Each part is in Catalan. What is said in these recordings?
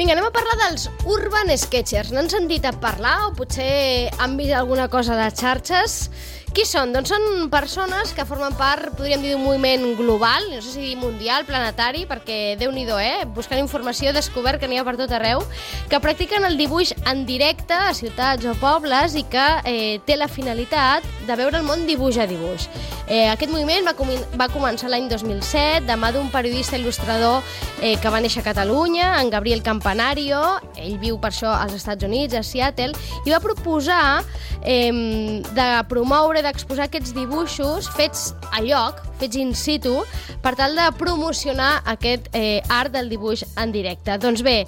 Vinga, anem a parlar dels Urban Sketchers. N'han sentit a parlar o potser han vist alguna cosa a les xarxes? Qui són? Doncs són persones que formen part, podríem dir, d'un moviment global, no sé si dir mundial, planetari, perquè Déu-n'hi-do, buscant informació he descobert que n'hi ha per tot arreu, que practiquen el dibuix en directe a ciutats o pobles i que té la finalitat de veure el món dibuix a dibuix. Aquest moviment va començar l'any 2007 de mà d'un periodista il·lustrador que va néixer a Catalunya, en Gabriel Campanario. Ell viu per això als Estats Units, a Seattle, i va proposar de promoure, d'exposar aquests dibuixos fets a lloc, fets in situ, per tal de promocionar aquest art del dibuix en directe. Doncs bé,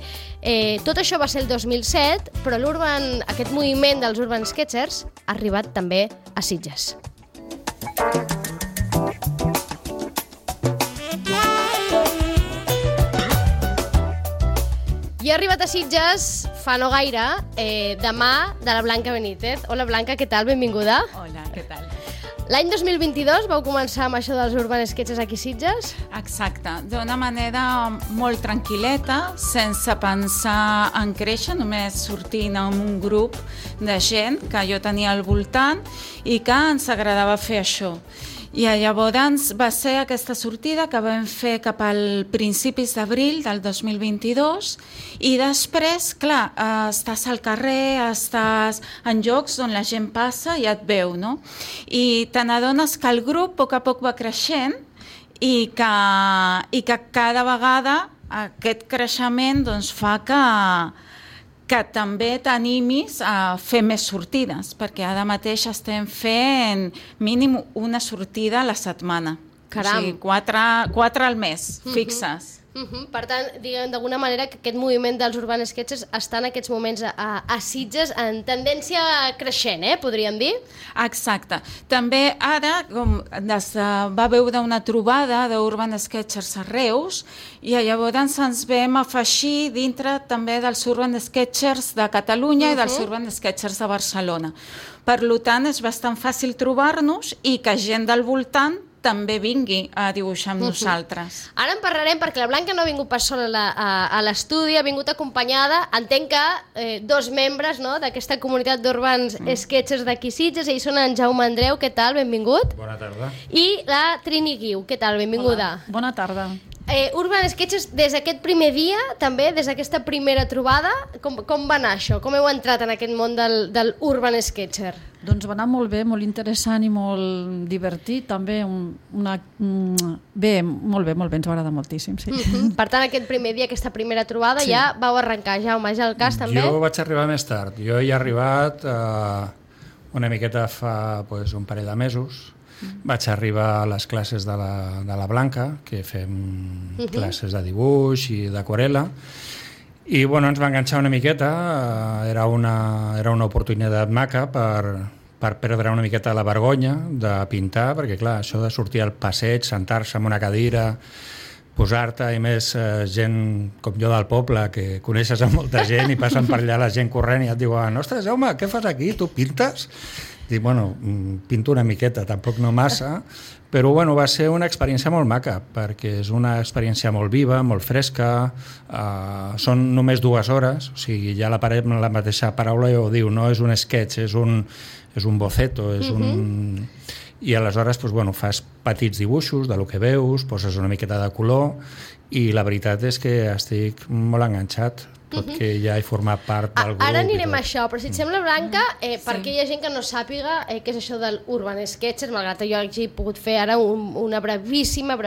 tot això va ser el 2007, però aquest moviment dels Urban Sketchers ha arribat també a Sitges. I ha arribat a Sitges fa no gaire, de mà de la Blanca Benítez. Hola Blanca, què tal? Benvinguda. Hola, què tal? L'any 2022 vau començar amb això dels Urban Sketchers aquí a Sitges? Exacte, d'una manera molt tranquil·leta, sense pensar en créixer, només sortint amb un grup de gent que jo tenia al voltant i que ens agradava fer això. I llavors va ser aquesta sortida que vam fer cap al principis d'abril del 2022 i després, clar, estàs al carrer, estàs en llocs on la gent passa i et veu, no? I te n'adones que el grup a poc va creixent i que cada vegada aquest creixement doncs, fa que també t'animis a fer més sortides, perquè ara mateix estem fent mínim una sortida a la setmana. Caram! O sigui, 4 al mes, fixes. Per tant, diguem d'alguna manera que aquest moviment dels Urban Sketchers està en aquests moments a Sitges en tendència creixent, podríem dir? Exacte. També ara va veure una trobada d'Urban Sketchers a Reus i llavors ens vam afegir dintre també dels Urban Sketchers de Catalunya i dels Urban Sketchers de Barcelona. Per tant, és bastant fàcil trobar-nos i que gent del voltant també vingui a dibuixar amb nosaltres. Ara en parlarem perquè la Blanca no ha vingut pas sola a l'estudi, ha vingut acompanyada, entenc que 2 membres d'aquesta comunitat d'Urban Sketchers d'aquí Sitges, ells són en Jaume Andreu, què tal? Benvingut. Bona tarda. I la Trini Guiu, què tal? Benvinguda. Hola. Bona tarda. Urban Sketchers, des d'aquest primer dia, també, des d'aquesta primera trobada, com va anar això? Com heu entrat en aquest món del Urban Sketcher? Doncs va anar molt bé, molt interessant i molt divertit, també. Bé, molt bé, ens va agradar moltíssim, sí. Per tant, aquest primer dia, aquesta primera trobada, sí. Ja vau arrencar, Jaume, ja el cas també? Jo vaig arribar més tard. Jo hi he arribat una miqueta fa un parell de mesos. Vaig arribar a les classes de la Blanca, que fem classes de dibuix i d'aquarel·la, i ens va enganxar una miqueta. Era una oportunitat maca per perdre una miqueta la vergonya de pintar, perquè clar, això de sortir al passeig, sentar-se en una cadira, posar-te, i més gent com jo del poble, que coneixes a molta gent i passen per allà la gent corrent i et diuen: ostres, Jaume, què fas aquí? Tu pintes? Dic, pinto una miqueta, tampoc no massa, però va ser una experiència molt maca, perquè és una experiència molt viva, molt fresca, són només 2 hores, o sigui, ja la mateixa paraula ja ho diu, no és un sketch, és un boceto, i aleshores fas petits dibuixos del que veus, poses una miqueta de color, i la veritat és que estic molt enganxat, tot que ja he format part del grup. Ara anirem a això, però si et sembla, Blanca, perquè hi ha gent que no sàpiga què és això del Urban Sketchers, malgrat que jo hagi pogut fer ara una brevíssima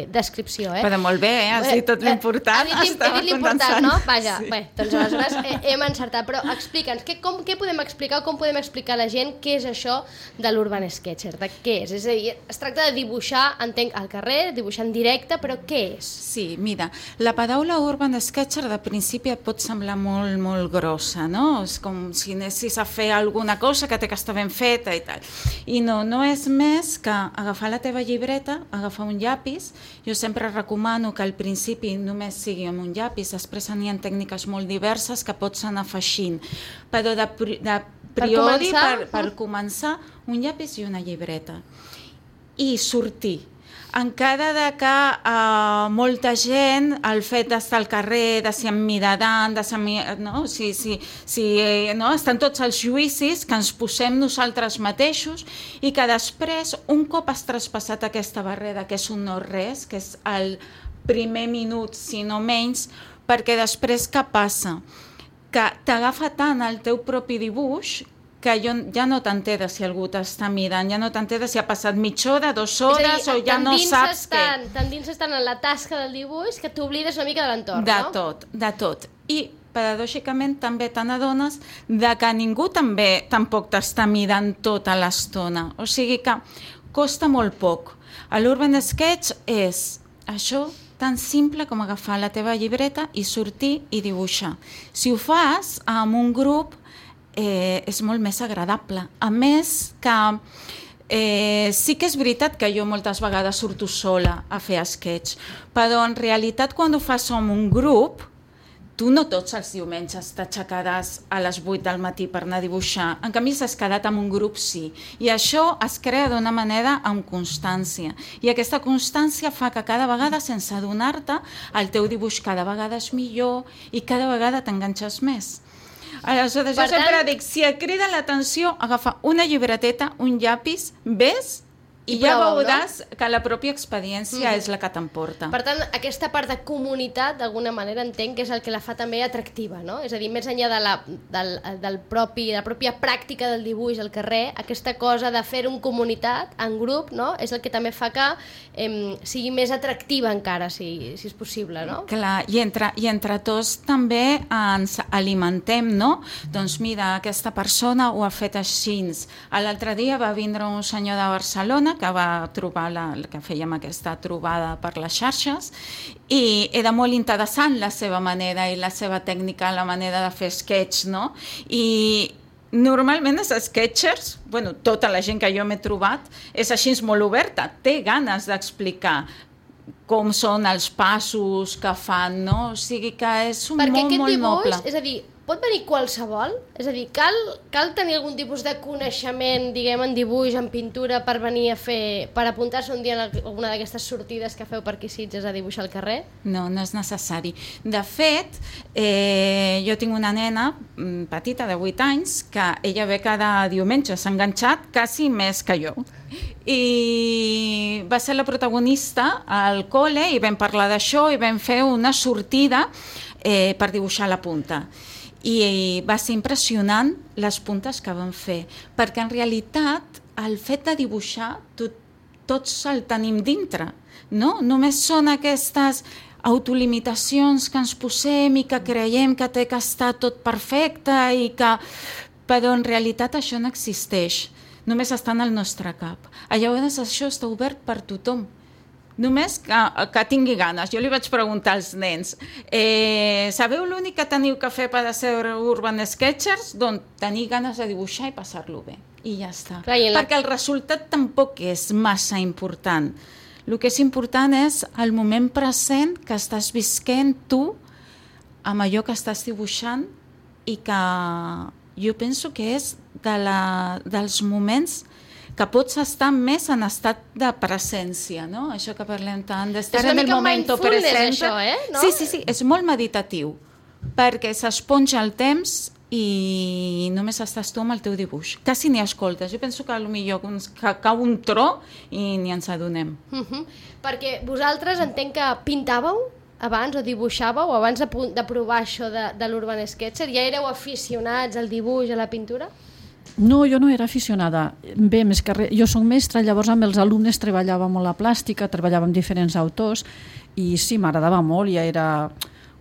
descripció. Però molt bé, has dit tot l'important. He dit l'important, no? Vaja, bé, doncs aleshores hem encertat, però explica'ns, què podem explicar, com podem explicar a la gent què és això de l'Urban Sketcher, de què és? És a dir, es tracta de dibuixar, entenc, al carrer, dibuixar en directe, però què és? Sí, mira, la paraula Urban Sketcher de principi et pot semblar molt, molt grossa, no? És com si anessis a fer alguna cosa que té que estar ben feta i tal. I no és més que agafar la teva llibreta, agafar un llapis. Jo sempre recomano que al principi només sigui amb un llapis, després n'hi ha tècniques molt diverses que pots anar afegint. Però de priori, per començar, un llapis i una llibreta. I sortir. encara que molta gent, el fet d'estar al carrer, de ser emmirallant, no? No? Estan tots els juïcis que ens posem nosaltres mateixos i que després, un cop has traspassat aquesta barrera, que és un no-res, que és el primer minut, si no menys, perquè després què passa? Que t'agafa tant el teu propi dibuix que ja no t'enteres si algú t'està mirant, ja no t'enteres si ha passat mitja hora, 2 hores, o ja no saps què. Tan dins estan en la tasca del dibuix que t'oblides una mica de l'entorn, no? De tot. I, paradòxicament, també te n'adones que ningú tampoc t'està mirant tota l'estona. O sigui que costa molt poc. L'Urban Sketch és això, tan simple com agafar la teva llibreta i sortir i dibuixar. Si ho fas amb un grup, és molt més agradable. A més que sí que és veritat que jo moltes vegades surto sola a fer sketch, però en realitat quan ho fas amb un grup, tu no tots els diumenges t'aixecaràs a les 8 del matí per anar a dibuixar. En canvi, si has quedat amb un grup, sí. I això es crea d'una manera amb constància. I aquesta constància fa que cada vegada, sense adonar-te, el teu dibuix cada vegada és millor i cada vegada t'enganxes més. Aleshores, jo sempre dic, si et crida l'atenció, agafa una llibreteta, un llapis, ves i ja veuràs que la pròpia experiència és la que t'emporta. Per tant, aquesta part de comunitat, d'alguna manera, entenc que és el que la fa també atractiva, no? És a dir, més enllà de la pròpia pràctica del dibuix al carrer, aquesta cosa de fer en comunitat, en grup, no? És el que també fa que sigui més atractiva encara, si és possible, no? Clar, i entre tots també ens alimentem, no? Doncs mira, aquesta persona ho ha fet així. L'altre dia va vindre un senyor de Barcelona que va trobar que fèiem aquesta trobada per les xarxes i era molt interessant la seva manera i la seva tècnica, la manera de fer sketch, no? I normalment els sketchers, tota la gent que jo m'he trobat, és així molt oberta, té ganes d'explicar com són els passos que fan, no? O sigui que és molt noble. Perquè aquest dibuix, és a dir, pot venir qualsevol? És a dir, cal tenir algun tipus de coneixement, diguem, en dibuix, en pintura, per venir a fer, per apuntar-se un dia a alguna d'aquestes sortides que feu per aquí Sitges a dibuixar al carrer? No, no és necessari. De fet, jo tinc una nena petita de 8 anys que ella ve cada diumenge, s'ha enganxat quasi més que jo. I va ser la protagonista al col·le i vam parlar d'això i vam fer una sortida per dibuixar la punta. I va ser impressionant les puntes que vam fer, perquè en realitat el fet de dibuixar tots el tenim dintre, no? Només són aquestes autolimitacions que ens posem i que creiem que té que estar tot perfecte però en realitat això no existeix, només està en el nostre cap. Llavors això està obert per tothom. Només que tingui ganes. Jo li vaig preguntar als nens, sabeu l'únic que teniu que fer per ser Urban Sketchers? Doncs tenir ganes de dibuixar i passar-lo bé. I ja està. Perquè el resultat tampoc és massa important. El que és important és el moment present que estàs visquent tu amb allò que estàs dibuixant i que jo penso que és dels moments que pots estar més en estat de presència, no? Això que parlem tant, d'estar en el moment present. Això, no? Sí, és molt meditatiu, perquè s'esponja el temps i només estàs tu amb el teu dibuix. Quasi ni escoltes. Jo penso que potser cau un tro i ni ens adonem. Perquè vosaltres entenc que pintàveu abans o dibuixàveu, abans de provar això de l'Urban Sketcher, ja éreu aficionats al dibuix, a la pintura? No, jo no era aficionada. Bé, més que res, jo soc mestra, llavors amb els alumnes treballava molt la plàstica, treballava amb diferents autors i sí, m'agradava molt, ja era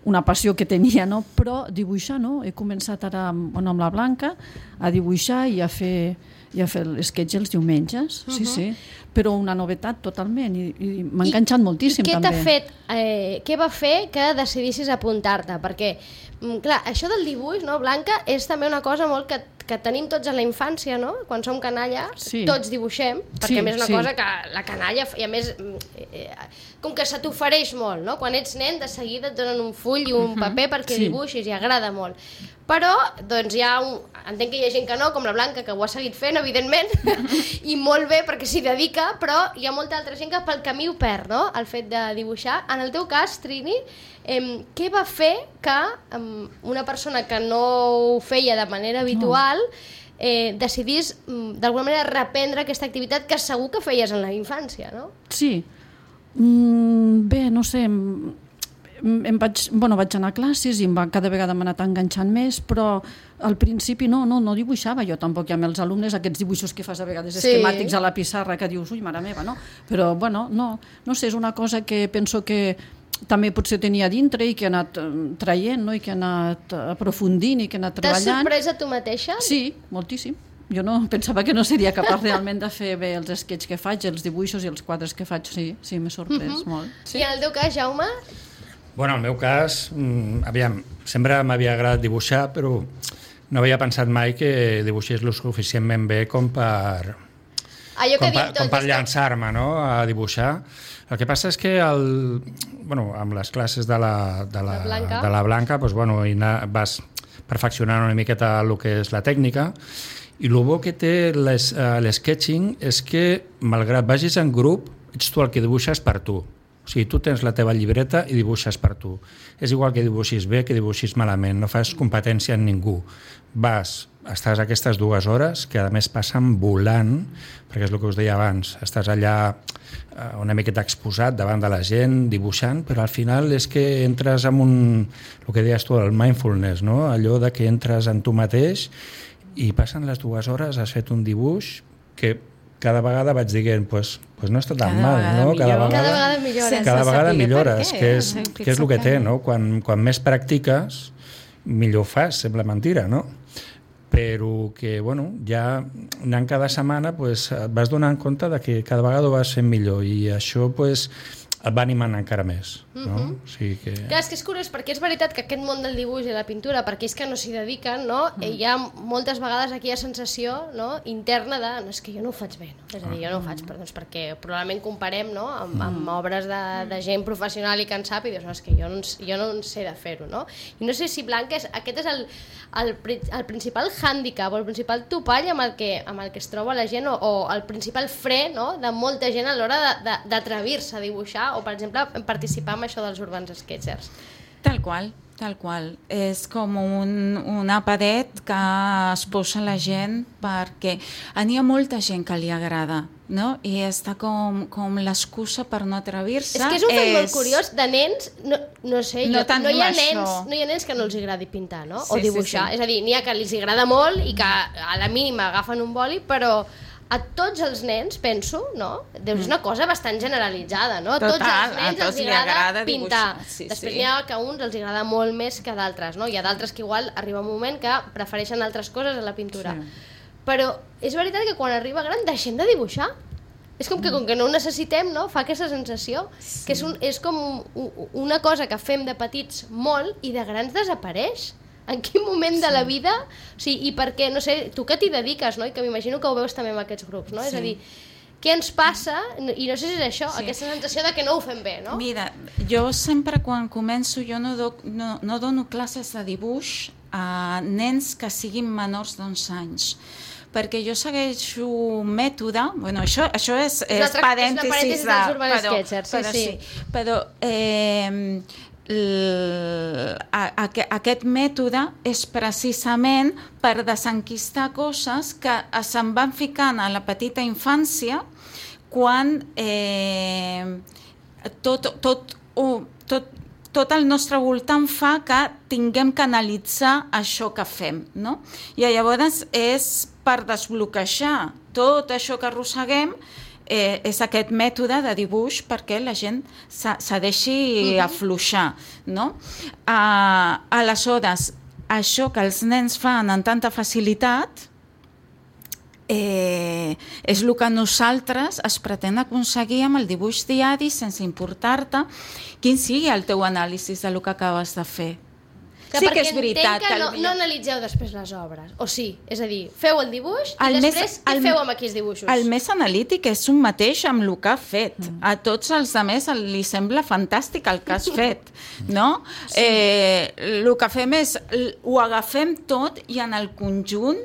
una passió que tenia, no? Però dibuixar no, he començat ara amb la Blanca a dibuixar i a fer l'esquetx els diumenges, sí, però una novetat totalment i m'ha enganxat moltíssim també. Què va fer que decidissis apuntar-te? Perquè, clar, això del dibuix, no, Blanca, és també una cosa molt que tenim tots a la infància, no? Quan som canalla, tots dibuixem, perquè a més és una cosa que la canalla, i a més, com que se t'ofereix molt, no? Quan ets nen, de seguida et donen un full i un paper perquè dibuixis i agrada molt. Però, doncs, hi ha entenc que hi ha gent que no, com la Blanca, que ho ha seguit fent, evidentment, i molt bé perquè s'hi dedica, però hi ha molta altra gent que pel camí ho perd, no?, el fet de dibuixar. En el teu cas, Trini, què va fer que una persona que no ho feia de manera habitual decidís d'alguna manera reprendre aquesta activitat que segur que feies en la infància, no? Sí. Bé, no sé, vaig anar a classes i cada vegada m'ha anat enganxant més, però al principi no dibuixava jo tampoc, ja amb els alumnes, aquests dibuixos que fas a vegades esquemàtics a la pissarra, que dius, ui, mare meva, no? Però, bueno, no sé, és una cosa que penso que també potser tenia dintre i que he anat traient, no? I que he anat aprofundint i que he anat treballant. T'has sorprès a tu mateixa? Sí, moltíssim. Jo no pensava que no seria capaç realment de fer bé els sketches que faig, els dibuixos i els quadres que faig. Sí, m'he sorprès molt. Sí. I en el teu cas, Jaume? Bueno, en el meu cas, aviam, sempre m'havia agradat dibuixar, però no havia pensat mai que dibuixés lo suficientment bé com per llançar-me, no?, a dibuixar. El que passa és que amb les classes de la Blanca doncs, vas perfeccionant una miqueta el que és la tècnica, i el bo que té l'sketching és que, malgrat vagis en grup, ets tu el que dibuixes per tu. O sigui, tu tens la teva llibreta i dibuixes per tu. És igual que dibuixis bé que dibuixis malament, no fas competència en ningú. Estàs aquestes 2 hores, que a més passen volant, perquè és el que us deia abans, estàs allà una miqueta exposat davant de la gent, dibuixant, però al final és que entres en el que deies tu, el mindfulness, no? Allò de que entres en tu mateix i passen les 2 hores, has fet un dibuix que cada vegada vaig dient, pues no està tan mal, no? Cada vegada millores, que és el que té, no? Quan més practiques, millor fas, sembla mentira, no? Però que, ja anant cada setmana et vas donant compte de que cada vegada ho vas fent millor i això, et va animant encara més, no? O sigui que... Clar, és que és curiós, perquè és veritat que aquest món del dibuix i la pintura, per aquells que no s'hi dediquen, no? Hi ha moltes vegades aquella sensació, no?, interna de, no, és que jo no ho faig bé, no? És a dir, jo no ho faig, perquè probablement comparem, no?, amb obres de gent professional i que en sap, i dius, no, és que jo no en sé de fer-ho, no? I no sé si, Blanca, aquest és el principal hàndicap o el principal topall amb el que es troba la gent, o el principal fre, no?, de molta gent a l'hora d'atrevir-se a dibuixar o, per exemple, participar en això dels Urbans Sketchers. Tal qual. És com una paret que es posa la gent perquè n'hi ha molta gent que li agrada, no? I està com l'excusa per no atrevir-se. És que és un fet molt curiós de nens, no sé, no hi ha nens que no els agradi pintar, no? O dibuixar. És a dir, n'hi ha que els agrada molt i que a la mínima agafen un boli, però a tots els nens, penso, no? És una cosa bastant generalitzada, no? Total, tots els nens els agrada pintar. Després n'hi ha que a uns els agrada molt més que a d'altres, no? Hi ha d'altres que igual arriba un moment que prefereixen altres coses a la pintura. Però és veritat que quan arriba gran deixem de dibuixar. És com que no ho necessitem, no? Fa aquesta sensació que és com una cosa que fem de petits molt i de grans desapareix. En quin moment de la vida, o sigui, i per què, no sé, tu que t'hi dediques, no? I que m'imagino que ho veus també amb aquests grups, no? És a dir, què ens passa, i no sé si és això, aquesta sensació de que no ho fem bé, no? Mira, jo sempre quan començo, jo no dono classes de dibuix a nens que siguin menors d'11 anys, perquè jo segueixo un mètode, això és parèntesis dels Urban Sketchers, sí. Però aquest mètode és precisament per desenquistar coses que se'n van ficant a la petita infància quan tot el nostre voltant fa que tinguem que analitzar això que fem, no? I llavors és per desbloquejar tot això que arrosseguem, és aquest mètode de dibuix perquè la gent se deixi afluixar, no? Aleshores, això que els nens fan amb tanta facilitat és el que nosaltres es pretén aconseguir amb el dibuix diari sense importar-te quin sigui el teu anàlisi del que acabes de fer. Sí que és veritat. Perquè entenc que no analitzeu després les obres, o sí? És a dir, feu el dibuix i després què feu amb aquells dibuixos? El més analític és un mateix amb el que ha fet. A tots els altres li sembla fantàstic el que has fet, no? El que fem és, ho agafem tot i en el conjunt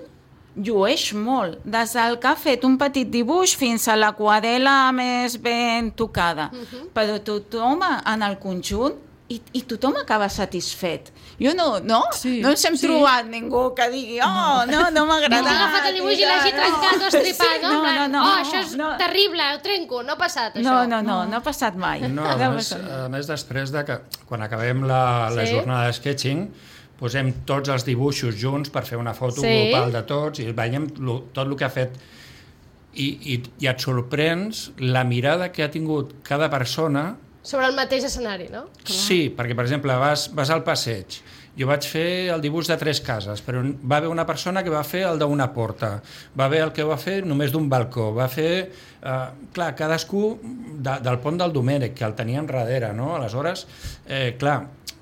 llueix molt, des del que ha fet un petit dibuix fins a l'aquarela més ben tocada. Però tothom en el conjunt i tothom acaba satisfet. Jo no ens hem trobat ningú que digui no m'ha agradat. No ha agafat el dibuix i l'hagi trencat o estripat, no? Això és terrible, ho trenco, no ha passat això. No ha passat mai. No, a més després de que quan acabem la jornada de sketching posem tots els dibuixos junts per fer una foto global de tots i veiem tot el que ha fet i et sorprens la mirada que ha tingut cada persona sobre el mateix escenari, no? Sí, perquè per exemple vas al passeig, jo vaig fer el dibuix de 3 cases, però va haver una persona que va fer el d'una porta, va haver el que va fer només d'un balcó, va fer... clar, cadascú del pont del Domènec, que el teníem darrere, no? Aleshores, clar,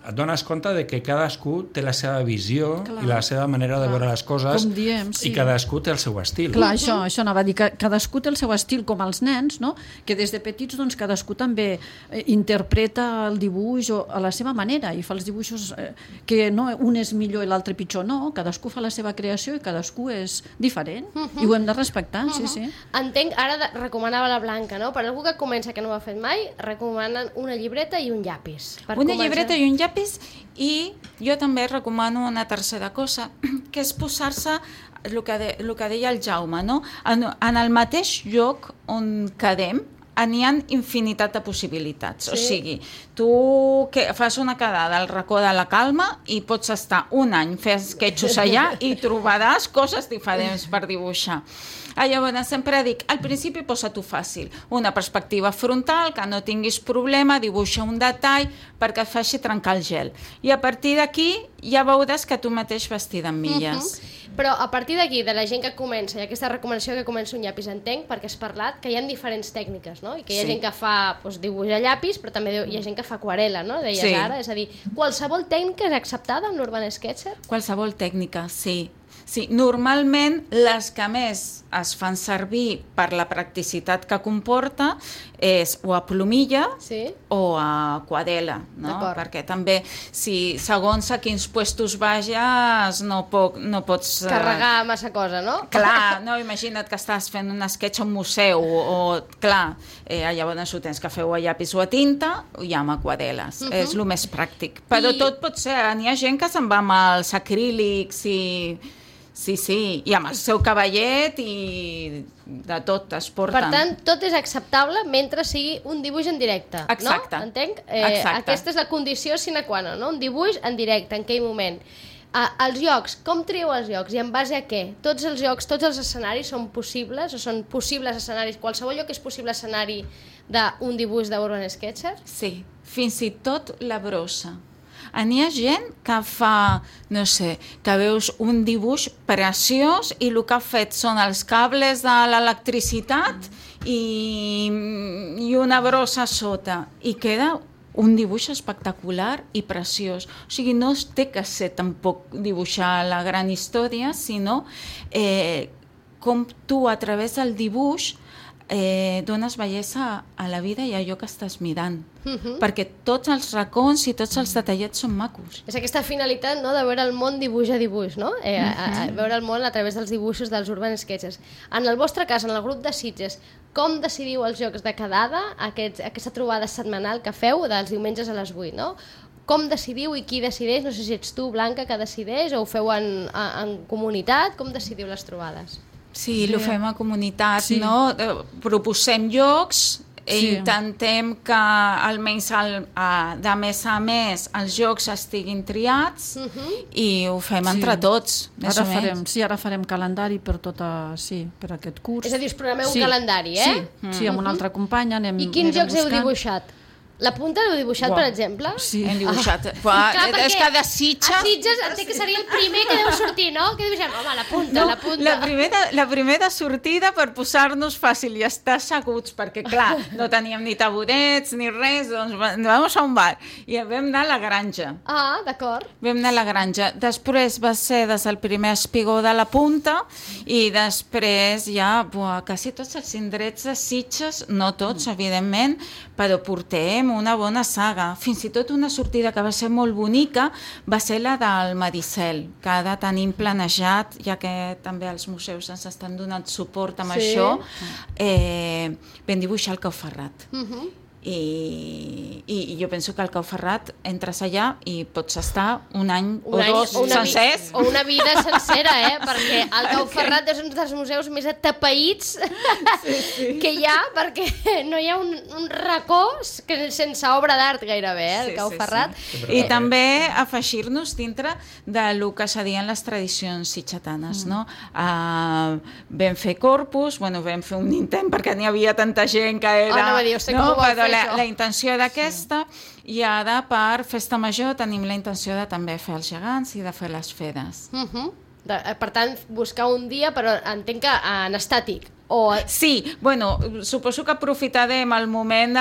et dones compte de que cadascú té la seva visió i la seva manera de veure les coses i cadascú té el seu estil. Clar, això anava a dir, que cadascú té el seu estil, com els nens, no? Que des de petits doncs, cadascú també interpreta el dibuix a la seva manera i fa els dibuixos que no, un és millor i l'altre pitjor, no, cadascú fa la seva creació i cadascú és diferent i ho hem de respectar, sí. Entenc, ara recomanava la Blanca, no? Per algú que comença que no ho ha fet mai, recomanen una llibreta i un llapis. Una llibreta i un llapis. I jo també recomano una tercera cosa, que és posar-se el que deia el Jaume, no? En el mateix lloc on quedem n'hi ha infinitat de possibilitats. O sigui, tu fas una quedada al racó de la Calma i pots estar un any fent esquetxos allà i trobaràs coses diferents per dibuixar. Llavors, sempre dic, al principi posa-t'ho fàcil, una perspectiva frontal, que no tinguis problema, dibuixa un detall perquè et faci trencar el gel. I a partir d'aquí ja veuràs que tu mateix vas tirant milles. Però a partir d'aquí, de la gent que comença, i aquesta recomanació que comença un llapis, entenc, perquè has parlat que hi ha diferents tècniques, no? I que hi ha gent que fa dibuix a llapis, però també hi ha gent que fa aquarela, no? Deies ara, és a dir, qualsevol tècnica és acceptada en l'Urban Sketcher? Qualsevol tècnica, sí. Sí, normalment les que més es fan servir per la practicitat que comporta és o a plomilla o a aquarela, no? Perquè també, si segons a quins puestos vages no pots... carregar massa cosa, no? Clar, no, imagina't que estàs fent un sketch a un museu o, clar, llavors ho tens que fer o a llapis o a tinta i amb aquareles, és el més pràctic. Però tot pot ser, n'hi ha gent que se'n va amb els acrílics i... Sí, i amb el seu cavallet i de tot es porten. Per tant, tot és acceptable mentre sigui un dibuix en directe, exacte. No? Entenc? Aquesta és la condició sine qua non, no? Un dibuix en directe, en aquell moment. Els llocs, com trieu els llocs i en base a què? Tots els llocs, tots els escenaris són possibles o són possibles escenaris? Qualsevol lloc és possible escenari d'un dibuix d'Urban Sketcher? Sí, fins i tot la brossa. N'hi ha gent que fa, no sé, que veus un dibuix preciós i el que ha fet són els cables de l'electricitat i una brossa sota i queda un dibuix espectacular i preciós. O sigui, no té que ser tampoc dibuixar la gran història, sinó com tu a través del dibuix dones bellesa a la vida i a allò que estàs mirant, perquè tots els racons i tots els detallets són macos. És aquesta finalitat, no?, de veure el món dibuix a dibuix, no? Veure el món a través dels dibuixos dels Urban Sketchers. En el vostre cas, en el grup de Sitges, com decidiu els jocs de quedada, aquesta trobada setmanal que feu dels diumenges a les 8, no? Com decidiu i qui decideix? No sé si ets tu, Blanca, que decideix, o ho feu en comunitat? Com decidiu les trobades? Sí, ho fem a comunitat, no? Proposem llocs, intentem que almenys de mes a mes els jocs estiguin triats i ho fem entre tots, més o menys. Ara farem calendari per aquest curs. És a dir, us programeu un calendari, Sí, amb una altra companya anem buscant. I quins jocs heu dibuixat? La punta l'heu dibuixat, per exemple? Sí. Hem dibuixat. Clar, És que de Sitges... A Sitges entenc que seria el primer que deu sortir, no? Que dibuixem, home, la punta, la punta. La primera sortida per posar-nos fàcil i estar asseguts, perquè, clar, no teníem ni tabudets ni res, doncs vamos a un bar. I vam anar a la granja. Ah, d'acord. Vam anar a la granja. Després va ser des del primer espigó de la punta i després ja, quasi tots els indrets de Sitges, no tots, evidentment, però portem una bona saga. Fins i tot una sortida que va ser molt bonica va ser la del Maricel, que ara tenim planejat, ja que també els museus ens estan donant suport amb això, vam dibuixar el Cau Ferrat. I jo penso que al Cau Ferrat entres allà i pots estar un any o dos sencers. O una vida sencera, perquè el Cau Ferrat és un dels museus més atapeïts que hi ha, perquè no hi ha un racó sense obra d'art gairebé, el Cau Ferrat. I també afegir-nos dintre del que serien les tradicions sitgetanes, no? Vam fer corpus, vam fer un intent perquè n'hi havia tanta gent que era... Però la intenció d'aquesta, i ara per Festa Major tenim la intenció de també fer els gegants i de fer les fedes. Per tant, buscar un dia, però entenc que en estàtic. Sí, suposo que aprofitarem el moment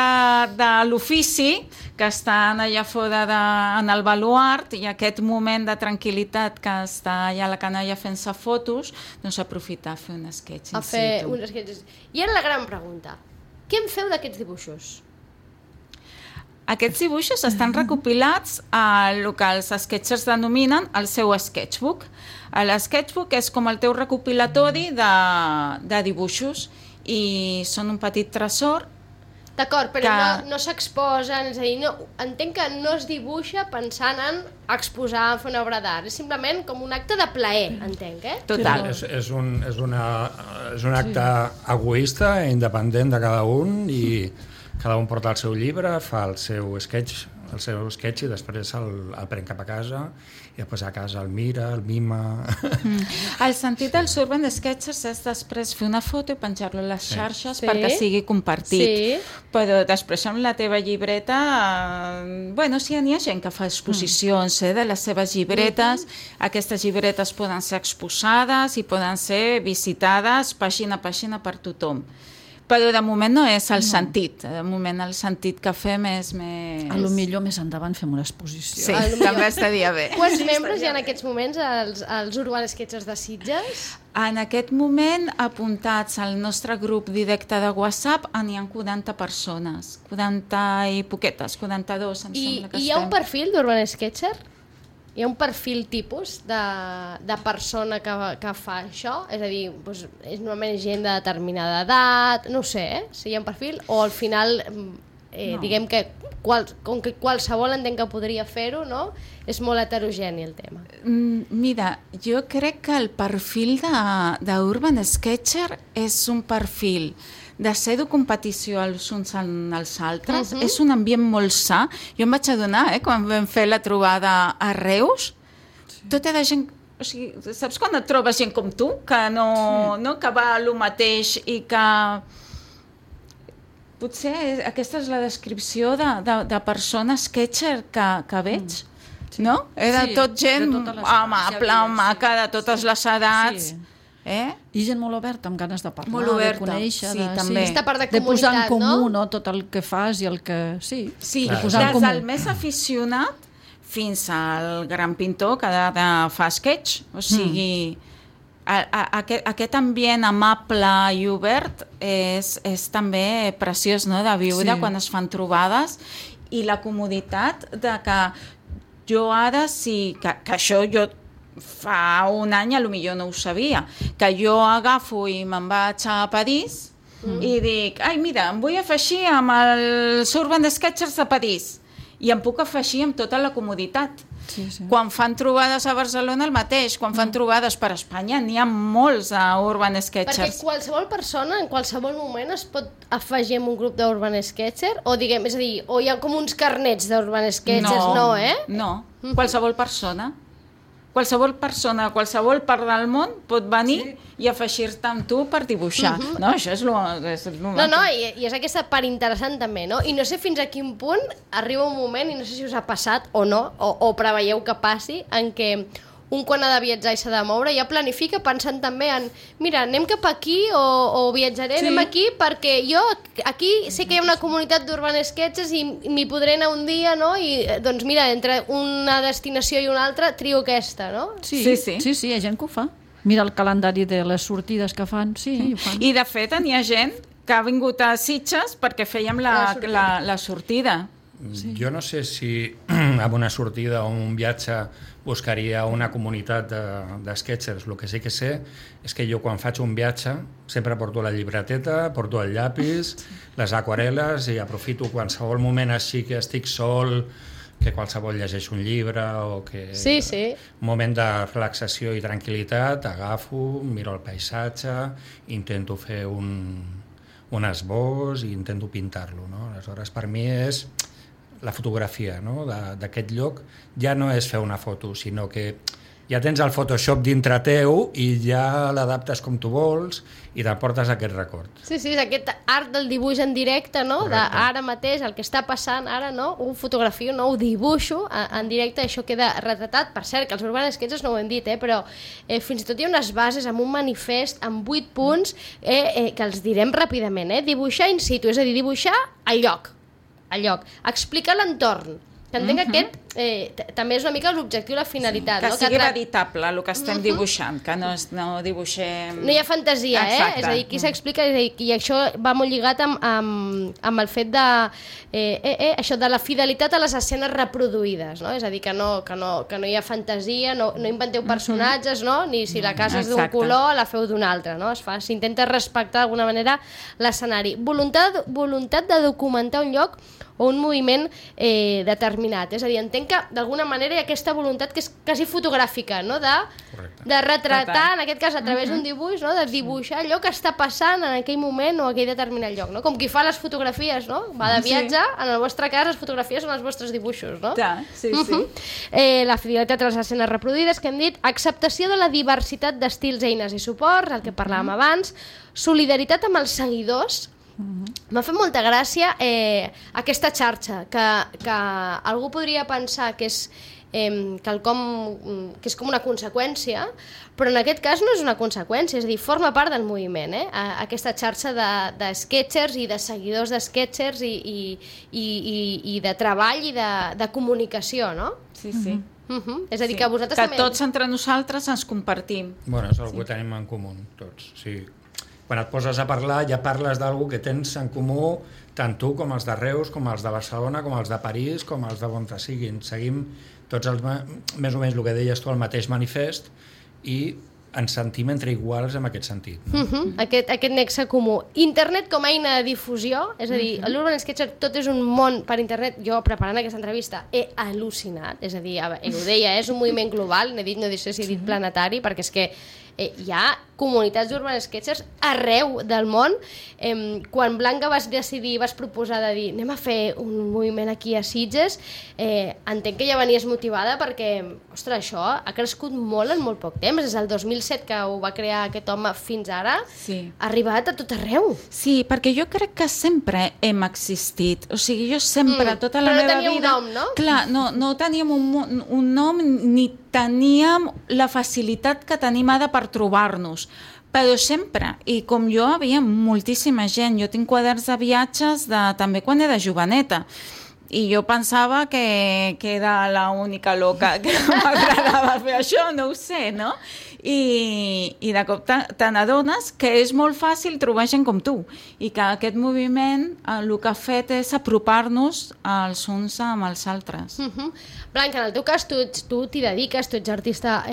de l'ofici, que estan allà fora en el baluart, i aquest moment de tranquil·litat que està allà la canalla fent-se fotos, doncs aprofitar a fer un sketch in situ. I ara la gran pregunta, què en feu d'aquests dibuixos? Aquests dibuixos estan recopilats a el que els sketchers denominen el seu sketchbook. L'sketchbook és com el teu recopilatori de dibuixos i són un petit tresor. D'acord, però no s'exposen, és a dir, entenc que no es dibuixa pensant en exposar, fer una obra d'art, és simplement com un acte de plaer, entenc, Total. És un acte egoista, independent de cada un, i cada un porta el seu llibre, fa el seu sketch i després el pren cap a casa i després a casa el mira, el mima... El sentit dels Urban Sketchers és després fer una foto i penjar-lo a les xarxes perquè sigui compartit. Però després amb la teva llibreta... sí, n'hi ha gent que fa exposicions de les seves llibretes. Aquestes llibretes poden ser exposades i poden ser visitades pàgina a pàgina per tothom. Però de moment no és el sentit. De moment el sentit que fem és més... A lo millor més endavant fem una exposició. Sí, també estaria bé. Quants membres hi ha en aquests moments als Urban Sketchers de Sitges? En aquest moment, apuntats al nostre grup directe de WhatsApp, n'hi ha 40 persones. 40 i poquetes, 42 em sembla que estem. I hi ha un perfil d'Urban Sketcher? Hi ha un perfil tipus de persona que fa això? És a dir, és normalment gent de determinada edat, no ho sé, si hi ha un perfil, o al final, diguem que com que qualsevol entenc que podria fer-ho, no? És molt heterogeni el tema. Mira, jo crec que el perfil d'Urban Sketcher és un perfil de ser de competició els uns als altres, és un ambient molt sa. Jo em vaig adonar, quan vam fer la trobada a Reus, tota la gent... O sigui, saps quan et trobes gent com tu, que que va a lo mateix i que... Potser aquesta és la descripció de persona sketcher que veig, no? Era tot gent amable, maca, de totes les edats... I gent molt oberta, amb ganes de parlar, molt oberta, de conèixer, també. De posar en comú tot el que fas i el que... Sí, des del més aficionat fins al gran pintor que fa sketch, o sigui, aquest ambient amable i obert és també preciós, no?, de viure quan es fan trobades, i la comoditat de que jo ara que això jo fa un any potser no ho sabia, que jo agafo i me'n vaig a París i dic, mira, em vull afegir amb els Urban Sketchers de París, i em puc afegir amb tota la comoditat. Quan fan trobades a Barcelona el mateix, quan fan trobades per Espanya n'hi ha molts d'Urban Sketchers. Perquè qualsevol persona en qualsevol moment es pot afegir en un grup d'Urban Sketcher, o diguem, és a dir, o hi ha com uns carnets d'Urban Sketchers, No, qualsevol persona. qualsevol persona, qualsevol part del món pot venir i afegir-te amb tu per dibuixar. No, això és lo No, i és aquesta part interessant també, no? I no sé fins a quin punt arriba un moment, i no sé si us ha passat o no, o preveieu que passi, en què un quan ha de viatjar i s'ha de moure ja planifica pensant també en mira, anem cap aquí o viatjaré, anem aquí perquè jo aquí sé que hi ha una comunitat d'Urban Sketches i m'hi podré anar un dia, no? I doncs mira, entre una destinació i una altra trio aquesta, no? Sí, hi ha gent que ho fa. Mira el calendari de les sortides que fan, ho fan. I de fet hi ha gent que ha vingut a Sitges perquè fèiem la sortida. Jo no sé si amb una sortida o un viatge buscaria una comunitat de sketchers. El que sí que sé és que jo quan faig un viatge sempre porto la llibreteta, porto el llapis, les aquarel·les i aprofito qualsevol moment així que estic sol, que qualsevol llegeix un llibre o que un moment de relaxació i tranquil·litat, agafo, miro el paisatge, intento fer un esbós i intento pintar-lo, no? Aleshores, per mi és la fotografia, no? D'aquest lloc ja no és fer una foto, sinó que ja tens el Photoshop dintre teu i ja l'adaptes com tu vols i t'emportes aquest record. Sí, és aquest art del dibuix en directe, no? Ara mateix, el que està passant ara, no? Ho fotografio, no? Ho dibuixo en directe, això queda retratat. Per cert, que els Urban Sketches no ho hem dit, però fins i tot hi ha unes bases amb un manifest, amb 8 punts, que els direm ràpidament, dibuixar in situ, és a dir, dibuixar al lloc, explicar l'entorn, que entenc que aquest també és una mica l'objectiu i la finalitat. Que sigui veritable el que estem dibuixant, que no dibuixem... No hi ha fantasia, és a dir, qui s'explica, i això va molt lligat amb el fet de això de la fidelitat a les escenes reproduïdes, no? És a dir, que no hi ha fantasia, no inventeu personatges, no? Ni si la casa és d'un color la feu d'un altre, no? S'intenta respectar d'alguna manera l'escenari. Voluntat de documentar un lloc o un moviment determinat, és a dir, entenc que d'alguna manera hi ha aquesta voluntat que és quasi fotogràfica, no? De retratar, en aquest cas a través d'un dibuix, no? De dibuixar allò que està passant en aquell moment o aquell determinat lloc, no? Com qui fa les fotografies, no? Va de viatge, en el vostre cas les fotografies són els vostres dibuixos, no? Sí. La fidelitat a les escenes reproduïdes, que hem dit, acceptació de la diversitat d'estils, eines i suports, el que parlàvem abans, solidaritat amb els seguidors. M'ha fet molta gràcia aquesta xarxa que algú podria pensar que és quelcom que és com una conseqüència, però en aquest cas no és una conseqüència, és a dir, forma part del moviment, aquesta xarxa de sketchers i de seguidors de sketchers i de treball i de comunicació, no? Sí. És a dir, que vosaltres també... Que tots entre nosaltres ens compartim. Bueno, és el que tenim en comú, tots, sí. Quan et poses a parlar ja parles d'algú que tens en comú tant tu com els de Reus, com els de Barcelona, com els de París, com els de on siguin. Seguim tots més o menys el que deies tu, el mateix manifest, i ens sentim entre iguals en aquest sentit. No? Aquest nexe comú. Internet com a eina de difusió, és a dir, l'Urban Sketcher tot és un món per internet. Jo, preparant aquesta entrevista, he al·lucinat, és a dir, ho deia, és un moviment global, no sé si he dit planetari, perquè és que hi ha comunitats d'Urban Sketchers arreu del món. Quan Blanca vas proposar de dir anem a fer un moviment aquí a Sitges, entenc que ja venies motivada perquè, ostres, això ha crescut molt en molt poc temps, des del 2007 que ho va crear aquest home fins ara, ha arribat a tot arreu. Sí, perquè jo crec que sempre hem existit, o sigui, jo sempre, tota la meva vida... Però no teníem un nom, no? Clar, no teníem un nom ni teníem la facilitat que tenim ara per trobar-nos, però sempre, i com jo havia moltíssima gent, jo tinc quaderns de viatges també quan era joveneta, i jo pensava que era l'única loca que m'agradava fer això, no ho sé, no? I de cop te n'adones que és molt fàcil trobar gent com tu i que aquest moviment el que ha fet és apropar-nos els uns amb els altres. Blanca, en el teu cas tu t'hi dediques, tu ets artista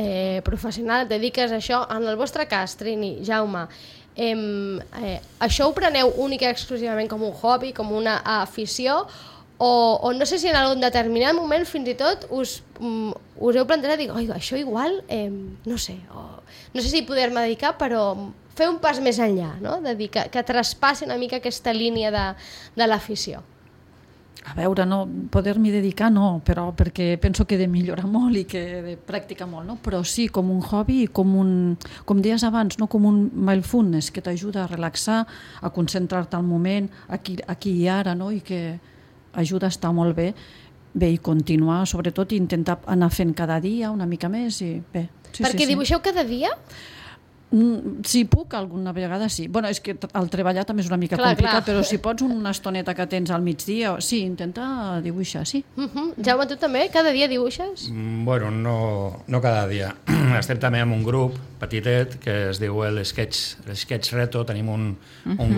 professional, et dediques a això. En el vostre cas, Trini, Jaume, això ho preneu única i exclusivament com un hobby, com una afició, o no sé si en algun determinat moment fins i tot us heu plantejat i dic, això igual, no sé si poder-me dedicar, però fer un pas més enllà, no? De dir que traspassi una mica aquesta línia de l'afició. A veure, no, poder-m'hi dedicar no, però perquè penso que he de millorar molt i que he de practicar molt, no? Però sí, com un hobby i com deies abans, no? Com un mindfulness que t'ajuda a relaxar, a concentrar-te al moment, aquí i ara, no? I que ajuda a estar molt bé i continuar, sobretot, i intentar anar fent cada dia una mica més i bé. Sí, perquè dibuixeu cada dia? Si puc, alguna vegada sí. Bueno, és que el treballar també és una mica complicat, però si pots una estoneta que tens al migdia, sí, intenta dibuixar, sí. Jaume, tu també? Cada dia dibuixes? Bueno, no cada dia. Estem també en un grup petitet que es diu l'Sketch Reto. Tenim un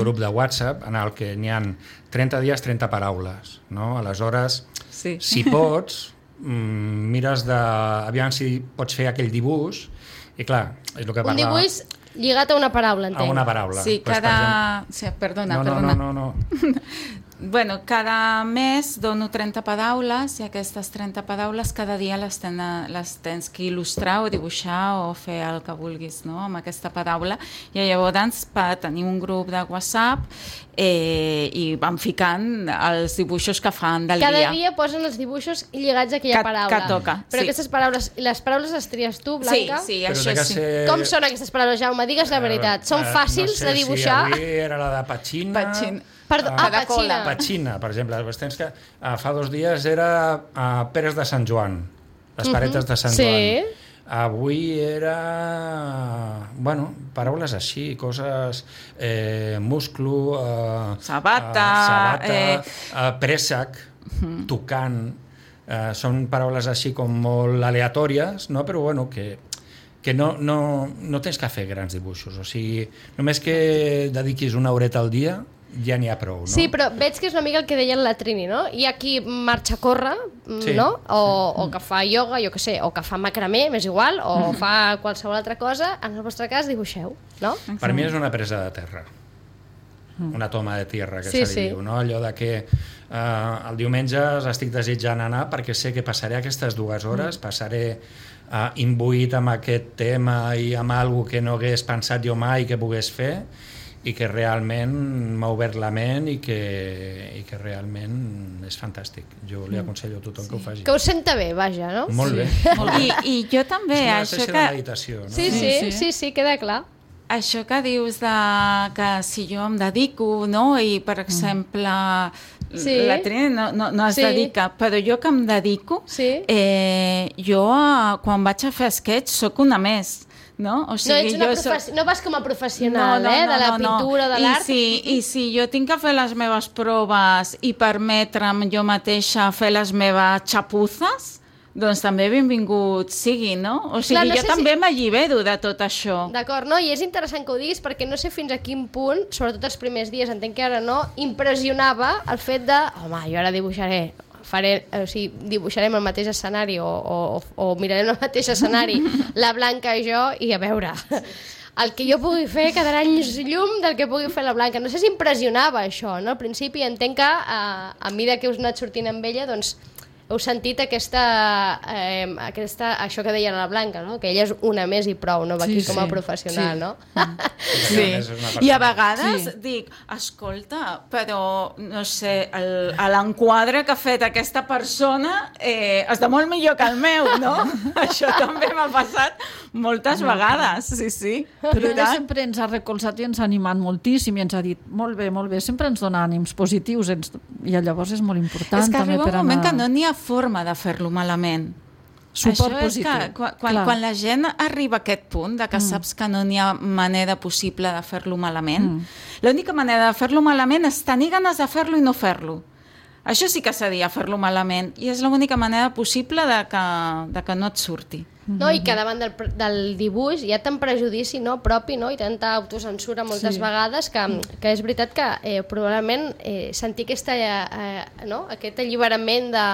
grup de WhatsApp en el que n'hi ha 30 dies, 30 paraules. No? Aleshores, si pots, mires aviam si pots fer aquell dibuix. I clar, és el que parlava... Un dibuix lligat a una paraula, entenc. A una paraula. Sí, cada... Sí, perdona. No. Bueno, cada mes dono 30 paraules i aquestes 30 paraules cada dia les tens que il·lustrar o dibuixar o fer el que vulguis, no?, amb aquesta paraula. I llavors tenim un grup de WhatsApp i van ficant els dibuixos que fan del dia. Cada dia posen els dibuixos lligats a aquella paraula. Que toca, però aquestes paraules, les paraules les tries tu, Blanca? Sí, això sí. Com són aquestes paraules, Jaume? Digues la veritat. Són fàcils de dibuixar? No sé si avui era la de Pachina. Perdó, Pachina. Pachina, per exemple. Tens que fa 2 dies era Peres de Sant Joan, les paretes de Sant Joan. Avui era... Bueno, paraules així, coses... musclo... sabata... préssec, tocant... són paraules així com molt aleatòries, no? Però bueno, que no tens que fer grans dibuixos. O sigui, només que dediquis una horeta al dia ja n'hi ha prou, no? Sí, però veig que és una mica el que deia la Trini, no? Hi ha qui marxa a córrer, no? O que fa ioga, jo què sé, o que fa macramé, m'és igual, o fa qualsevol altra cosa. En el vostre cas, dibuixeu, no? Per mi és una presa de terra. Una toma de tierra, que se li diu, no? Allò de que el diumenge estic desitjant anar perquè sé que passaré aquestes 2 hores, passaré imbuït amb aquest tema i amb alguna que no hagués pensat jo mai que pogués fer, i que realment m'ha obert la ment i que realment és fantàstic. Jo li aconsello a tothom que ho faci. Que ho senta bé, vaja, no? Molt bé. I jo també... És una espècie de meditació, no? Sí, queda clar. Això que dius que si jo em dedico, no? I, per exemple, la Trini no es dedica, però jo que em dedico, jo quan vaig a fer sketch soc una més. No? O sigui, no vas com a professional, de la pintura, de l'art. I si jo tinc que fer les meves proves i permetre'm jo mateixa fer les meves xapuzes, doncs també benvingut sigui, no? O sigui, jo també m'allibero de tot això. D'acord, no? I és interessant que ho diguis perquè no sé fins a quin punt, sobretot els primers dies, entenc que ara no, impressionava el fet de, home, jo ara dibuixaré, dibuixarem el mateix escenari o mirarem el mateix escenari la Blanca i jo, i a veure el que jo pugui fer quedarà anys llum del que pugui fer la Blanca. No sé si impressionava això, no? Al principi entenc que a mesura que us anat sortint amb ella, doncs heu sentit això que deia la Blanca, no? Que ella és una més i prou, no va aquí com a professional, no? Sí. I a vegades dic, escolta, però no sé, l'enquadre que ha fet aquesta persona està molt millor que el meu, no? Això també m'ha passat moltes vegades, sí. Però ella sempre ens ha recolzat i ens ha animat moltíssim i ens ha dit, molt bé, sempre ens dona ànims positius i llavors és molt important. És que també arriba un moment que no n'hi ha forma de fer-lo malament. Suport Això és positiu. Que quan la gent arriba a aquest punt de que saps que no n'hi ha manera possible de fer-lo malament, l'única manera de fer-lo malament és tenir ganes de fer-lo i no fer-lo. Això sí que seria fer-lo malament i és l'única manera possible de que no et surti. No, i que davant del dibuix hi ha tant prejudici propi, no? I tanta autocensura moltes vegades que és veritat que probablement sentir aquest alliberament de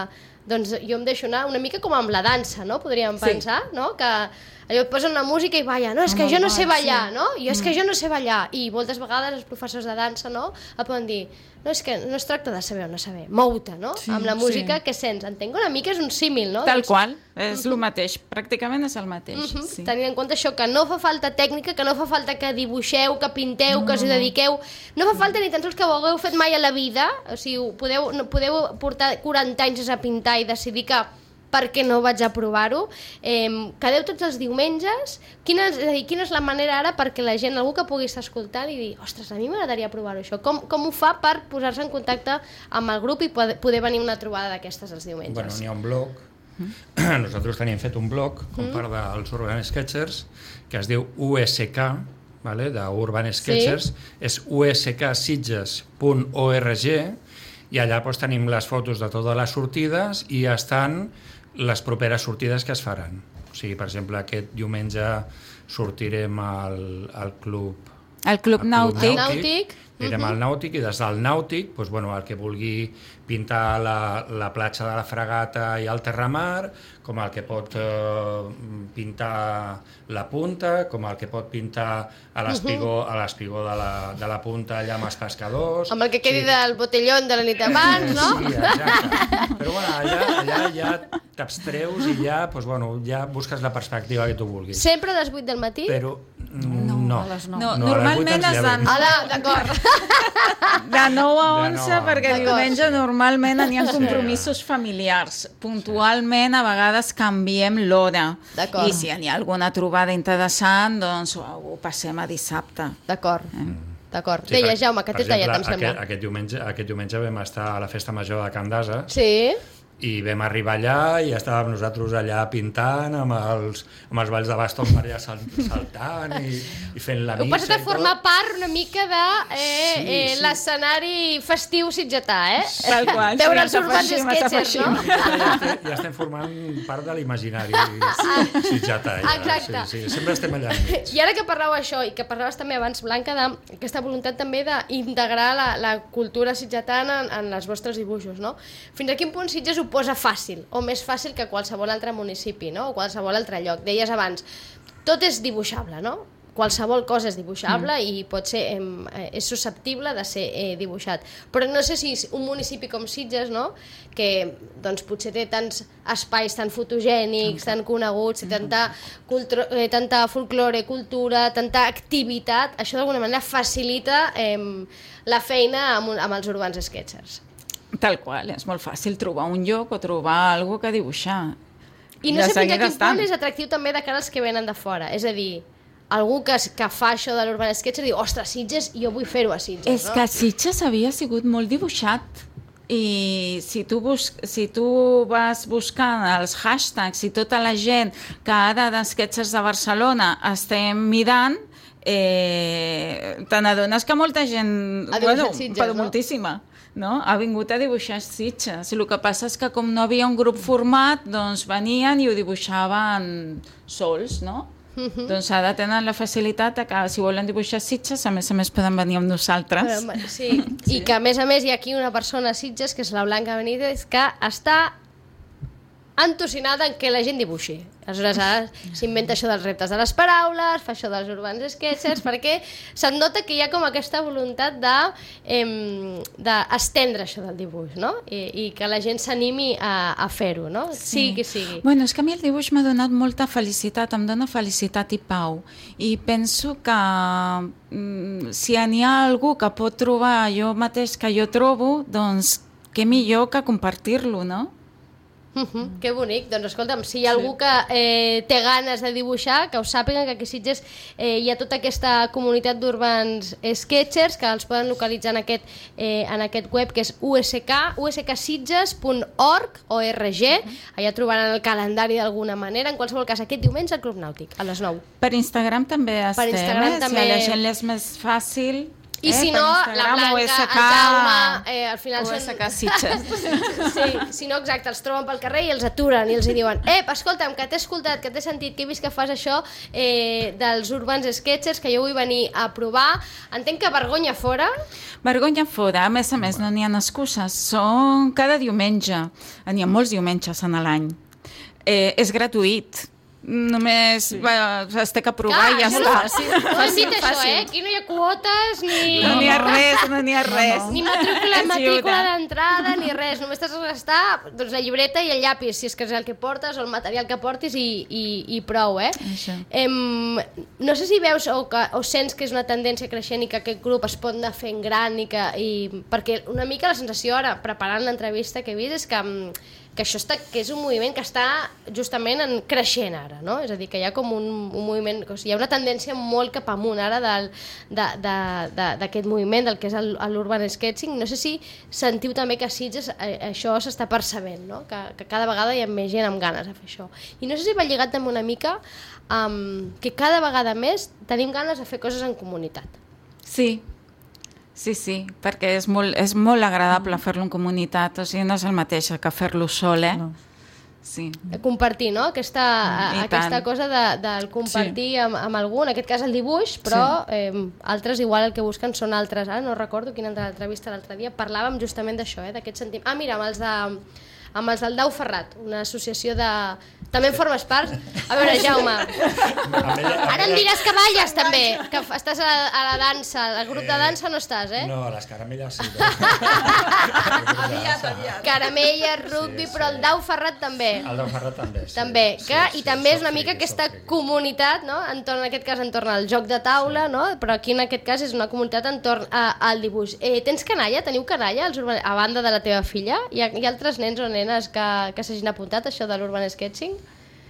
doncs jo em deixo anar una mica com amb la dansa, no? Podríem pensar, no? Que allò et posen una música i balla, no, és que jo no sé ballar, no? I és que jo no sé ballar. I moltes vegades els professors de dansa, no? Et poden dir, no, és que no es tracta de saber o no saber, mou-te, no? Amb la música que sents. Entenc una mica és un símil, no? Tal qual. és el mateix, pràcticament és el mateix. Sí. Tenint en compte això, que no fa falta tècnica, que no fa falta que dibuixeu, que pinteu, que us hi dediqueu, no fa falta ni tan sols que ho hagueu fet mai a la vida, o sigui, podeu portar 40 anys a pintar i decidir que per què no vaig a provar-ho. Quedeu tots els diumenges. Quina és la manera ara perquè la gent, algú que pugui estar escoltant i dir, ostres, a mi m'agradaria provar-ho això. Com ho fa per posar-se en contacte amb el grup i poder venir una trobada d'aquestes els diumenges? Bueno, n'hi ha un blog. Nosaltres tenim fet un blog com part dels Urban Sketchers que es diu USK, vale? d'Urban Sketchers, és usksitges.org i allà doncs, tenim les fotos de totes les sortides i estan les properes sortides que es faran. O sigui, per exemple, aquest diumenge sortirem al club... El Club Nàutic. Anirem al Nàutic i des del Nàutic, doncs, bueno, el que vulgui pintar la platja de la Fragata i el Terramar, com el que pot pintar la punta, com el que pot pintar a l'espigó de la punta allà amb els pescadors... Amb el que quedi del botellón de la nit abans, no? Sí, exacte. Però bueno, allà ja t'abstreus i ja, doncs, bueno, ja busques la perspectiva que tu vulguis. Sempre a les 8 del matí? Però no. A les 9. No, normalment és D'acord. de 9 a 11, perquè D'acord. diumenge normalment hi ha compromisos familiars. Puntualment, a vegades canviem l'hora. D'acord. I si hi ha alguna trobada interessant, doncs ho passem a dissabte. D'acord. D'acord. Sí, Deia, Jaume, que per t'he tallat, em exemple, sembla. Aquest diumenge vam estar a la festa major de Can d'Asa Sí. i vam arribar allà i estàvem nosaltres allà pintant amb els balls de bastons per allà saltant i fent la Heu missa. passat a formar part una mica de Sí. l'escenari festiu sitgetà, Tal qual, Veure sí, els Urbans Sketchers, no? Ja estem formant part de l'imaginari sitgetà. Ja. Exacte. Sí, sempre estem allà enmig. I ara que parleu això, i que parlaves també abans, Blanca, d'aquesta voluntat també d'integrar la cultura sitgetana en els vostres dibuixos, no? Fins a quin punt Sitges ho posa fàcil, o més fàcil que qualsevol altre municipi, no? O qualsevol altre lloc. Deies abans, tot és dibuixable, no? Qualsevol cosa és dibuixable i pot ser, és susceptible de ser dibuixat. Però no sé si un municipi com Sitges, no? Que doncs, potser té tants espais tan fotogènics, tan coneguts, tanta folklore, cultura, tanta activitat, això d'alguna manera facilita la feina amb els Urbans Sketchers. Tal qual, és molt fàcil trobar un lloc o trobar alguna que dibuixar. I no sé fins a quin punt és atractiu també de cara als que venen de fora. És a dir, algú que fa això de l'Urban Sketcher diu, ostres, Sitges, jo vull fer-ho a Sitges, És que Sitges havia sigut molt dibuixat i si tu vas buscant els hashtags i tota la gent que ara d'Sketchers de Barcelona estem mirant, te n'adones que molta gent, ha dibuixat Sitges, però moltíssima, no? Ha vingut a dibuixar Sitges. El que passa és que com no havia un grup format, doncs venien i ho dibuixaven sols, no? Doncs ara tenen la facilitat que si volen dibuixar Sitges, a més poden venir amb nosaltres. Sí. I que a més hi ha aquí una persona a Sitges, que és la Blanca Benítez, que està entusinada en que la gent dibuixi. Aleshores ara s'inventa això dels reptes de les paraules, fa això dels Urbans Sketchers, perquè se'n nota que hi ha com aquesta voluntat d'estendre això del dibuix, no? I que la gent s'animi a fer-ho, no? Sigui qui sigui. Bueno, és que a mi el dibuix m'ha donat molta felicitat, em dona felicitat i pau. I penso que si n'hi ha algú que pot trobar allò mateix que jo trobo, doncs què millor que compartir-lo, no? Que bonic. Doncs escolta'm, si hi ha algú que té ganes de dibuixar, que ho sàpiguen que aquí a Sitges hi ha tota aquesta comunitat d'Urbans Sketchers que els poden localitzar en aquest web que és usksitges.org. Allà trobaran el calendari d'alguna manera. En qualsevol cas, aquest diumenge al Club Nàutic, a les 9. Per Instagram també estem, també... si a la gent és més fàcil... I si no, la Blanca, el Jaume, al final USK Sitges. Sí, si no, exacte, els troben pel carrer i els aturen i els diuen escolta'm, que t'he escoltat, que t'he sentit, que he vist que fas això dels Urbans Sketchers, que jo vull venir a provar. Entenc que vergonya fora. Vergonya fora, a més no n'hi ha excuses, són cada diumenge, n'hi ha molts diumenges en l'any. És gratuït. només es té que provar i ja està. No hem dit això, aquí no hi ha quotes ni... No n'hi ha res. Ni matrícula d'entrada, ni res. Només t'has de gastar la llibreta i el llapis, si és que és el que portes, o el material que portis i prou, No sé si veus o sents que és una tendència creixent i que aquest grup es pot anar fent gran perquè una mica la sensació ara, preparant l'entrevista que he vist, és que això que és un moviment que està justament creixent ara, no? És a dir, que hi ha com un moviment, o sigui, hi ha una tendència molt cap amunt ara d'aquest moviment, del que és l'urban sketching. No sé si sentiu també que a Sitges això s'està percebent, no? Que cada vegada hi ha més gent amb ganes de fer això. I no sé si va lligat també una mica que cada vegada més tenim ganes de fer coses en comunitat. Sí, perquè és molt agradable fer-lo en comunitat, o sigui, no és el mateix que fer-lo sol, No. Sí. Compartir, no? Aquesta cosa del compartir amb algú, en aquest cas el dibuix, però altres igual el que busquen són altres. Ara no recordo quina entrevista l'altre dia parlàvem justament d'això, d'aquest sentiment. Mira, amb els del Dau Ferrat, una associació de... També en formes part? A veure, Jaume, ara em diràs que balles també, que estàs a la dansa, al grup de dansa no estàs, No, a les caramelles sí. Caramelles, rugby, però el Dau Ferrat també. El Dau Ferrat també, sí. També, i també és una mica aquesta comunitat, no? En aquest cas entorn al joc de taula, no? Però aquí en aquest cas és una comunitat entorn al dibuix. Tens canalla? Teniu canalla a banda de la teva filla? Hi ha altres nens o nenes que s'hagin apuntat a això de l'urban sketching?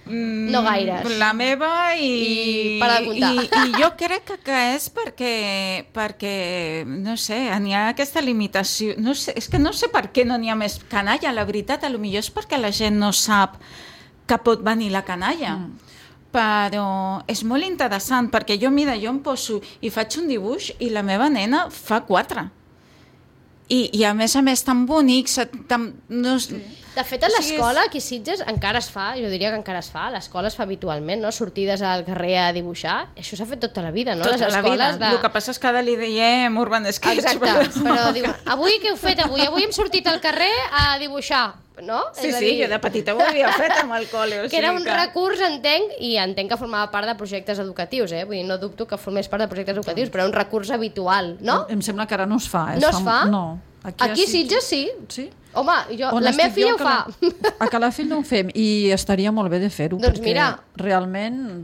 No gaires. La meva I para de comptar. I jo crec que és perquè no sé, n'hi ha aquesta limitació. No sé, és que no sé per què no n'hi ha més canalla, la veritat, potser és perquè la gent no sap que pot venir la canalla. Però és molt interessant, perquè jo em poso i faig un dibuix i la meva nena fa 4. I a més tan bonics, De fet, a l'escola, aquí a Sitges, encara es fa, jo diria que encara es fa, a l'escola es fa habitualment, no? Sortides al carrer a dibuixar, això s'ha fet tota la vida, no? Tota la vida, el que passa és que ara li diem urban sketch. Exacte, però diuen, avui què heu fet? Avui hem sortit al carrer a dibuixar, no? Sí, jo de petita ho havia fet amb el col·le. Que era un recurs, entenc, i entenc que formava part de projectes educatius, Vull dir, no dubto que formés part de projectes educatius, però era un recurs habitual, no? Em sembla que ara no es fa. No es fa? No. Aquí a Sitges sí. Sí? Home, la meva filla ho fa. A Calafell no ho fem i estaria molt bé de fer-ho, doncs perquè mira. Realment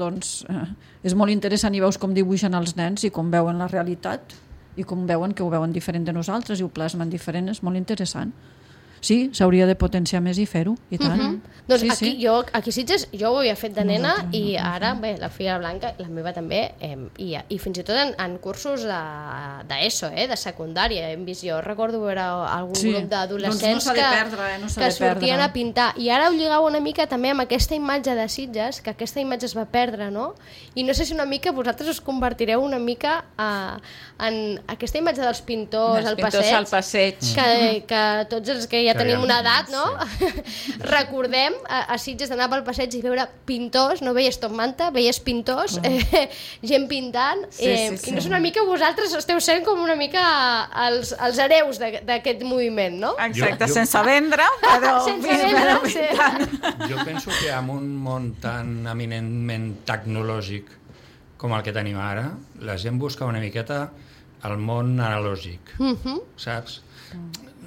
és molt interessant i veus com dibuixen els nens i com veuen la realitat i com veuen que ho veuen diferent de nosaltres i ho plasmen diferent, és molt interessant. Sí, s'hauria de potenciar més i fer-ho, i tant. Doncs aquí a Sitges jo ho havia fet de nena i ara, bé, la filla Blanca, la meva també, i fins i tot en cursos d'ESO, de secundària, hem vist, jo recordo veure algun grup d'adolescents que sortien a pintar, i ara ho lligau una mica també amb aquesta imatge de Sitges, que aquesta imatge es va perdre, no? I no sé si una mica vosaltres us convertireu una mica en aquesta imatge dels pintors al passeig, que tots els que ja tenim una edat, no? Recordem a Sitges d'anar pel passeig i veure pintors, no veies top manta, veies pintors, gent pintant, i no és una mica, vosaltres esteu sent com una mica els hereus d'aquest moviment, no? Exacte, sense vendre, però... Jo penso que en un món tan eminentment tecnològic com el que tenim ara, la gent busca una miqueta el món analògic, saps?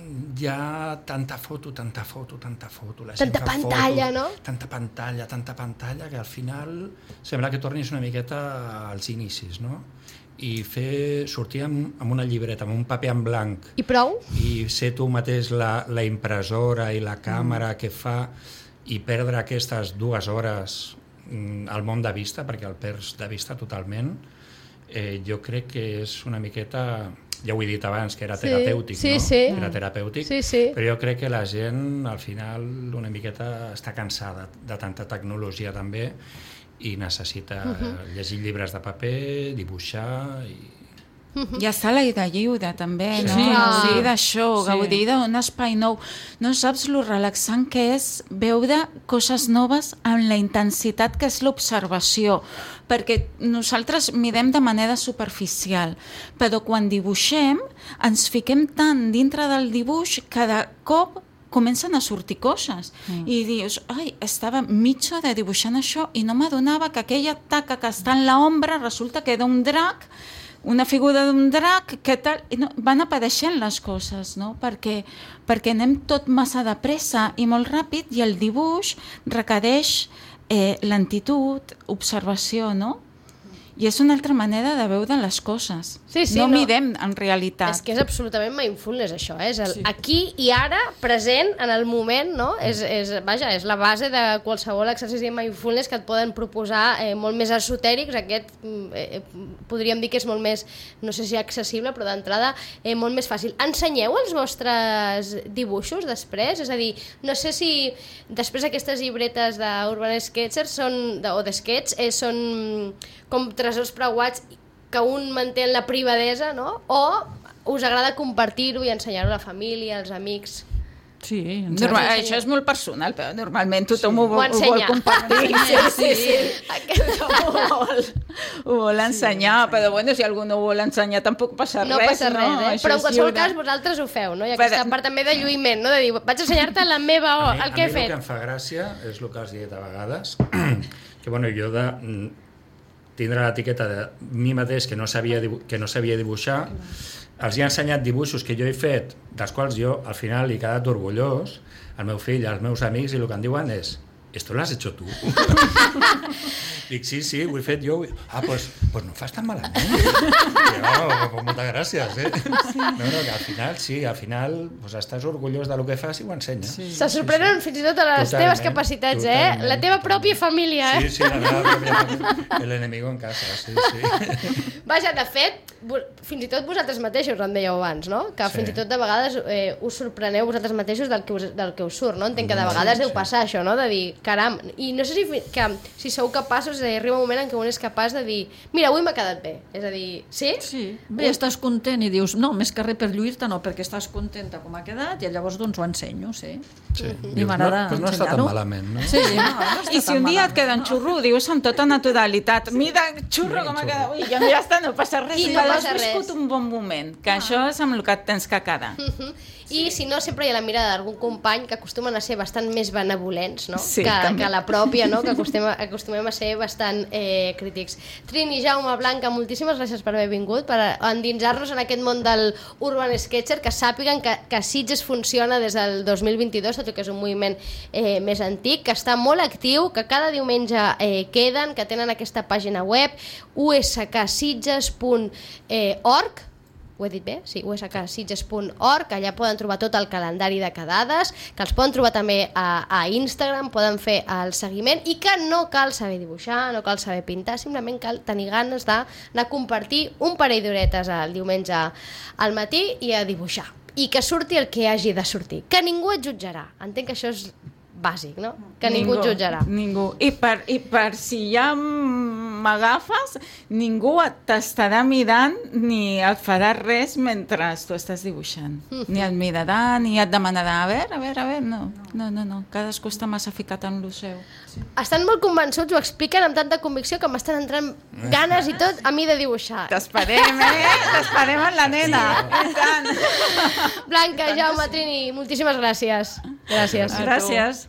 Hi ha tanta foto, la gent tanta pantalla, foto, no? Tanta pantalla, que al final sembla que tornis una miqueta als inicis, no? I sortir amb una llibreta, amb un paper en blanc. I prou? I ser tu mateix la impressora i la càmera que fa, i perdre aquestes 2 hores al món de vista, perquè el perds de vista totalment, jo crec que és una miqueta... Ja ho he dit abans, que era terapèutic, no? Era terapèutic, però jo crec que la gent, al final, una miqueta està cansada de tanta tecnologia també i necessita llegir llibres de paper, dibuixar i... I està l'aire lliure també, no? Gaudir d'això, gaudir d'un espai nou. No saps lo relaxant que és veure coses noves amb la intensitat que és l'observació, perquè nosaltres mirem de manera superficial, però quan dibuixem ens fiquem tant dintre del dibuix que de cop comencen a sortir coses. I dius, ai, estava mitja hora dibuixant això i no m'adonava que aquella taca que està en l'ombra resulta que era un drac, una figura d'un drac, què tal? I no, van apareixent les coses, no? Perquè anem tot massa de pressa i molt ràpid i el dibuix requereix lentitud, observació, no? I és una altra manera de veure les coses. No mirem en realitat. És que és absolutament mindfulness, això. És el aquí i ara, present, en el moment, no? És la base de qualsevol exercici de mindfulness que et poden proposar molt més esotèrics. Aquest podríem dir que és molt més, no sé si accessible, però d'entrada molt més fàcil. Ensenyeu els vostres dibuixos després? És a dir, no sé si després aquestes llibretes d'Urban Sketchers o de Sketch són com tresors preuats que un manté en la privadesa, no? O us agrada compartir-ho i ensenyar-ho a la família, als amics? Sí, això és molt personal, però normalment tothom ho vol compartir. Ho vol ensenyar, però bueno, si algú no ho vol ensenyar tampoc passa res. No passa res, però en qualsevol cas vosaltres ho feu, no? I aquesta part també de lluïment, no? De dir, vaig ensenyar-te la meva el que he fet. A mi el que em fa gràcia és el que has dit a vegades, que bueno, jo de tindre l'etiqueta de mi mateix que no sabia dibuixar, els he ensenyat dibuixos que jo he fet, dels quals jo al final he quedat orgullós, al meu fill, als meus amics, i el que em diuen és ¿esto lo has hecho tú? Dic, sí, ho he fet jo. Ah, pues no fas tan malament. No, moltes gràcies, No, que al final pues, estàs orgullós del que fas i ho ensenyes. Se sorprenen fins i tot a les teves capacitats, La teva pròpia família, Sí, la meva pròpia família. El enemigo en casa, sí. Vaja, de fet, fins i tot vosaltres mateixos, em dèieu abans, no? Que fins i tot de vegades us sorpreneu vosaltres mateixos del que us surt, no? Entenc que de vegades deu passar això, no? De dir, caram, i no sé si sou capaços, arriba un moment en què un és capaç de dir, mira, avui m'ha quedat bé, és a dir, sí? Sí, bé, estàs content i dius, no, més que res per lluir-te, no, perquè estàs contenta com ha quedat i llavors doncs ho ensenyo, sí. I m'agrada ensenyar-ho. No està tan malament, no? Sí, i si un dia et queda en xurro, ho dius amb tota naturalitat, mira, xurro com ha quedat, ui, ja està, no passa res, i has viscut un bon moment, que això és amb el que et tens que quedar. I si no, sempre hi ha la mirada d'algun company que acostumen a ser bastant més benevolents, no? Sí, que la pròpia, no? Que acostumem a ser bastant crítics. Trini, Jaume, Blanca, moltíssimes gràcies per haver vingut, per endinsar-nos en aquest món del Urban Sketcher, que sàpiguen que Sitges funciona des del 2022, tot i que és un moviment més antic, que està molt actiu, que cada diumenge queden, que tenen aquesta pàgina web, usksitges.org, ho he dit bé? Sí, usksitges.org, allà poden trobar tot el calendari de quedades, que els poden trobar també a Instagram, poden fer el seguiment i que no cal saber dibuixar, no cal saber pintar, simplement cal tenir ganes d'anar a compartir un parell d'horetes el diumenge al matí i a dibuixar. I que surti el que hagi de sortir, que ningú et jutjarà. Entenc que això és bàsic, no? Que ningú et jutjarà. Ningú. I per si ja m'agafes, ningú t'estarà mirant ni et farà res mentre tu estàs dibuixant. Ni et mirarà, ni et demanarà, a veure, no. Cadascú està massa ficat en lo seu. Estan molt convençuts, ho expliquen amb tanta convicció que m'estan entrant ganes i tot a mi de dibuixar. T'esperem, T'esperem en la nena. I tant. Blanca, Jaume, Trini, moltíssimes gràcies. Gràcies. Gràcies.